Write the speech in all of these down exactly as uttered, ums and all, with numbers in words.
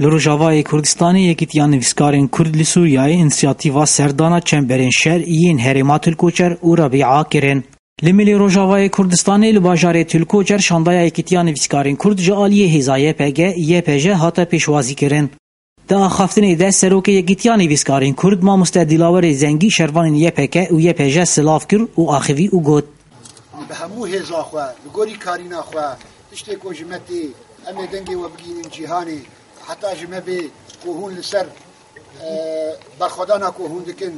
Li Rojavayê Kurdistanê Yekîtiya Nivîskarên Kurd li Sûriyeyê însiyatîva serdana çemberên şer yên herêma Til Koçer û Rebîa kirin. Li milê Rojavayê Kurdistanê li bajarê Til Koçer şandaya Yekîtiya Nivîskarên Kurd ji aliyê hêza Y P G, Y P J hate pêşwazî kirin. Di axaftinê de Serokê Yekîtiya Nivîskarên Kurd Mamoste Dilawerê Zengî şervanên Y P K û Y P J silav kir û axivî û got: Bi hemû hêza xwe, bi gorî karîna xwe, tiştê ku ji me tê, em ê dengê we bigihînin cîhanê. Heta ji me bê ku hûn li ser, e, berxwedana ku hûn dikin,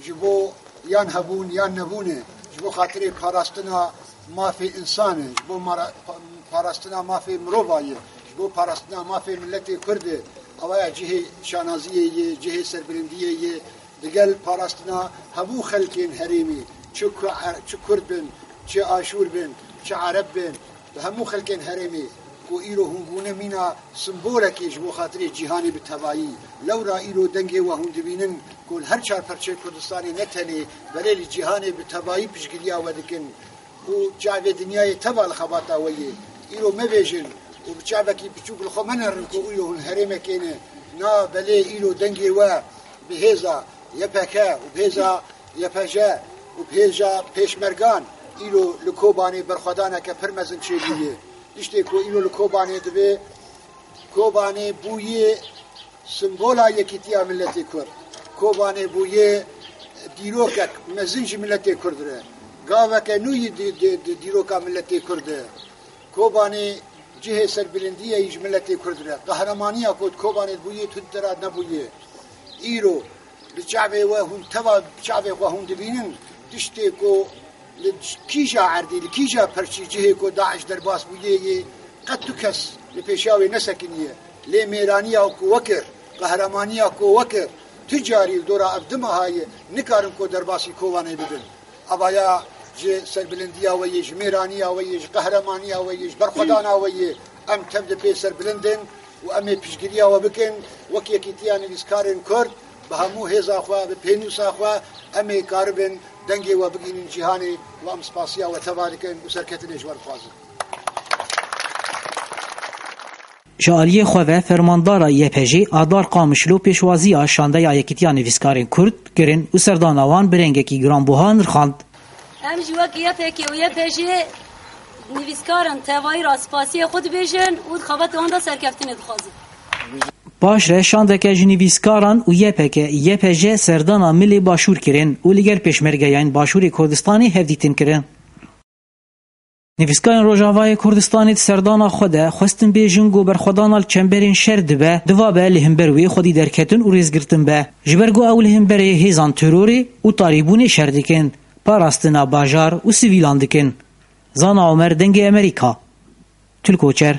ji bo yan hebûn yan nebûn e, ji bo xatirê parastina mafê însan e, ji bo mara-, pa-, parastina mafê mirova ye, ji bo parastina mafê miletê Kurd e. Ewa ya cihê şanaziyê ye, cihê serbilindiyê ye, digel parastina hemû xelkên herêmê, çi ku-, çi Kurd bin, çi Aşûr bin, çi Ereb bin, bi hemû xelkên herêmê ku îro hûn bûne mîna simbolekê ji bo xatirê cîhanê bi tevayî. Lewra îro dengê we hûn dibînin ku li her çar perçeyê Kurdistanê ne tenê, belê li cîhanê bi tevayî piştgiriya we dikin û çavê dinyayê teva li xebata we yê. Îro mebêjin û bi çavekî piçûk li xwe menerin ku îro hûn herêmekê ne. Na, belê îro dengê we bi hêza Y P K û bi hêza Y P J û bi hêza pêşmergan îro li Kobanê berxwedaneke pir mezin çêbûye. Tiştê ku îro li Kobanê dibe, Kobanê bûye simbola yekîtiya miletê Kurd. Kobanê bûye dîrokek mezin ji miletê Kurd re. Gaveke nû yî di, di, di dîroka miletê Kurd e. Kobanê cihê serbilindiyê yî ji miletê Kurd re. Qehremaniya ku di Kobanê bûye, tu di te re nebûye. Îro li çavê we hûn teva çavê xwe hûn dibînin, tiştê ku li kîja erdî, li kîja perçî cihê ku DAIŞ derbas bûye yê, qet tu kes li pêşiya wê nesekiniye. Lê mêraniya ku we kir, qehremaniya ku we kir, tu carî li dora ev du meha ye, nikarin ku derbasî Kobanê bibin. Avaya ji serbilindiya we yê, ji mêraniya we yê, ji qehremaniya we yê, ji berxwedana we yê, em tev di pê serbilind in û em ê piştgiriya we bikin. Wek Yekîtiya Nivîskarên Kurd, bi hemû hêza xwe, bi pênûsa xwe, em ê karibin dengê we bigihînin cîhanê û em spasiya we teva dikin û serketinê ji we dixwazin. Ji aliyê xwe ve fermandara Y P J Adar Qamişlo pêşwaziya şandeya Yekîtiya Nivîskarên Kurd kirin û serdana wan bi rengekî giranbuha nirxand. Em jî wek Y P K û Y P J nivîskaran tevayî ra spasiyê xwe dibêjin û di xebatê wan de serkeftinê dixwazin. Paşre şandeke ji nivîskaran û Y P K, Y P J serdana milê Başûr kirin û li gel pêşmergeyên Başûrê Kurdistanê hevdîtin kirin. Nivîskarên Rojavayê Kurdistanê di serdana xwe de xwestin bêjin ku berxwedana li çemberên şer dibe, diva be li hember wê xwedî derketin û rêzgirtin be. Ji ber ku ew li hemberê hêzan terorê û tarîbûnê şer dikin, parastina bajar û sivîlan dikin. Zana Omer, Dengê Amerîka, Til Koçer.